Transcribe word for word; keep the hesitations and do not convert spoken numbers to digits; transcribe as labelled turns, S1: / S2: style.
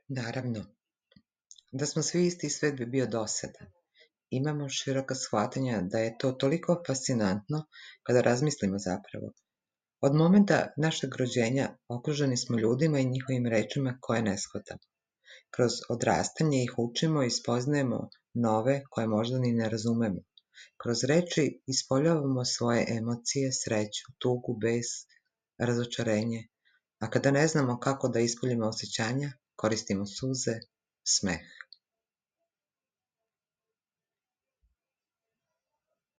S1: Naravno, da smo svi isti, svet bi bio dosadan. Imamo široka shvatanja da je to toliko fascinantno kada razmislimo zapravo. Od momenta našeg rođenja okruženi smo ljudima i njihovim rečima koje ne shvatamo. Kroz odrastanje ih učimo i spoznajemo nove koje možda ni ne razumemo. Kroz reči ispoljavamo svoje emocije, sreću, tugu, bes, razočarenje, a kada ne znamo kako da ispoljimo osjećanja, koristimo suze, smeh.